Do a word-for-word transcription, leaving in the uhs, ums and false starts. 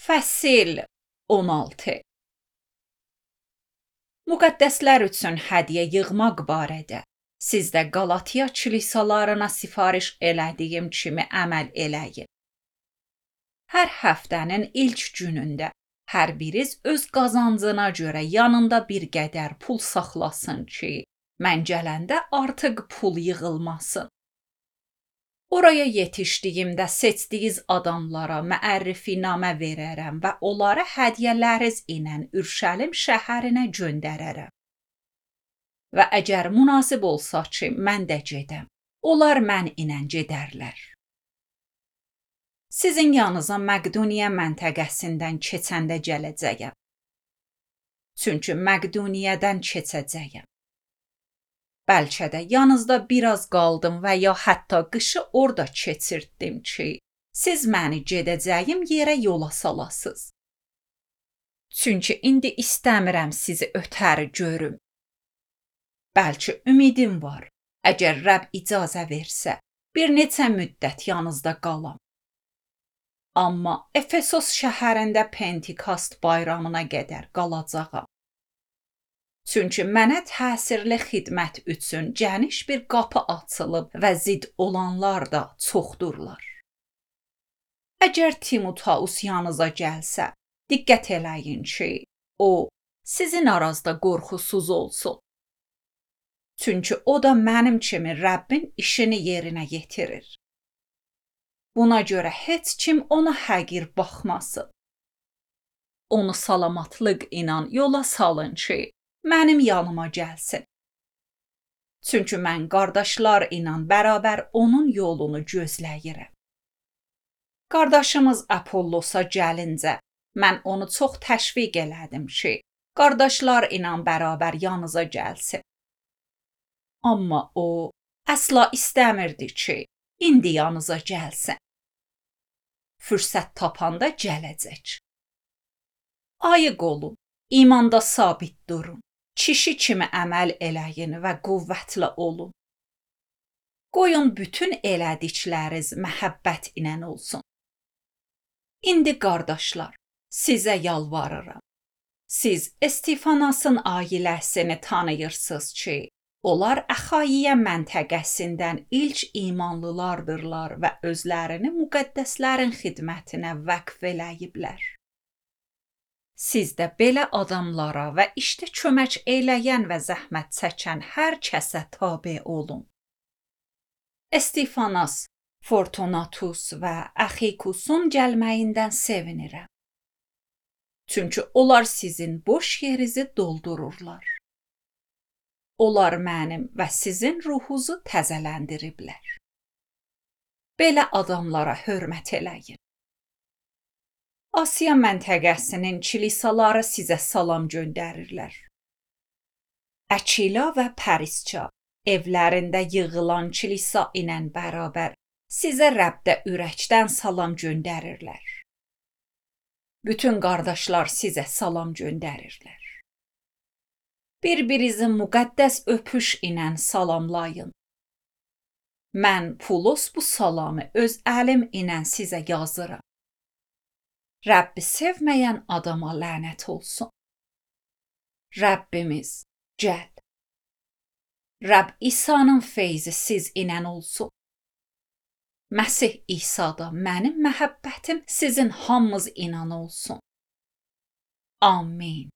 Fəsil on altı. Müqəddəslər üçün hədiyyə yığmaq barədə sizdə Qalatiya kilisalarına sifariş elədiyim kimi əməl eləyin. Hər həftənin ilk günündə hər biriz öz qazancına görə yanında bir qədər pul saxlasın ki, mən gələndə artıq pul yığılmasın. Oraya yetişdiyimdə seçdiyiniz adamlara məərrifinamə verərəm və onları hədiyyələriniz ilə Ürşəlim şəhərinə göndərərəm. Və əgər münasib olsa ki, mən də gedəm, onlar mən ilə gedərlər. Sizin yanınıza Məqduniya məntəqəsindən keçəndə gələcəyəm. Çünki Məqduniyadan keçəcəyəm. Bəlkə də yanınızda biraz qaldım və ya hətta qışı orada keçirtdim ki, siz məni gedəcəyim yerə yola salasınız. Çünki indi istəmirəm sizi ötəri görüm. Bəlkə ümidim var, əgər Rəbb icazə versə, bir neçə müddət yanınızda qalam. Amma Efesos şəhərində Pentikast bayramına qədər qalacağam. Çünki mənə təsirli xidmət üçün geniş bir qapı açılıb və zid olanlar da çoxdurlar. Əgər Timoteus yanınıza gəlsə, diqqət eləyin ki, o, sizin aranızda qorxusuz olsun. Çünki o da mənim kimi Rəbbin işini yerinə yetirir. Buna görə heç kim ona həqir baxmasın. Onu salamatlıq ilə yola salın ki, mənim yanıma gəlsin. Çünki mən qardaşlar ilə bərabər onun yolunu gözləyirəm. Qardaşımız Apollosa gəlincə, mən onu çox təşviq elədim ki, qardaşlar ilə bərabər yanınıza gəlsin. Amma o, əsla istəmirdi ki, indi yanınıza gəlsin. Fürsət tapanda gələcək. Ayıq olun, imanda sabit durun. Kişi kimi əməl eləyin və qüvvətli olun. Qoyun bütün elədikləriniz məhəbbət ilə olsun. İndi qardaşlar, sizə yalvarıram. Siz Estefanasın ailəsini tanıyırsınız ki, onlar Əxayiyə məntəqəsindən ilk imanlılardırlar və özlərini müqəddəslərin xidmətinə vəqf eləyiblər. Siz də belə adamlara və işdə kömək eləyən və zəhmət çəkən hər kəsə tabe olun. Estefanas, Fortunatus və Əxikusun gəlməyindən sevinirəm. Çünki onlar sizin boş yerinizi doldururlar. Onlar mənim və sizin ruhunuzu təzələndiriblər. Belə adamlara hörmət eləyin. Asiya məntəqəsinin kilisaları sizə salam göndərirlər. Əkila və Parisça evlərində yığılan kilisa ilə bərabər sizə Rəbdə ürəkdən salam göndərirlər. Bütün qardaşlar sizə salam göndərirlər. Bir-birinizi müqəddəs öpüş ilə salamlayın. Mən Pulos bu salamı öz əlim ilə sizə yazıram. Rəbbi sevməyən adama lənət olsun. Rəbbimiz, gəl. Rəbb İsa'nın feyzi siz ilə olsun. Məsih İsa'da mənim məhəbbətim sizin hamınız ilə olsun. Amin.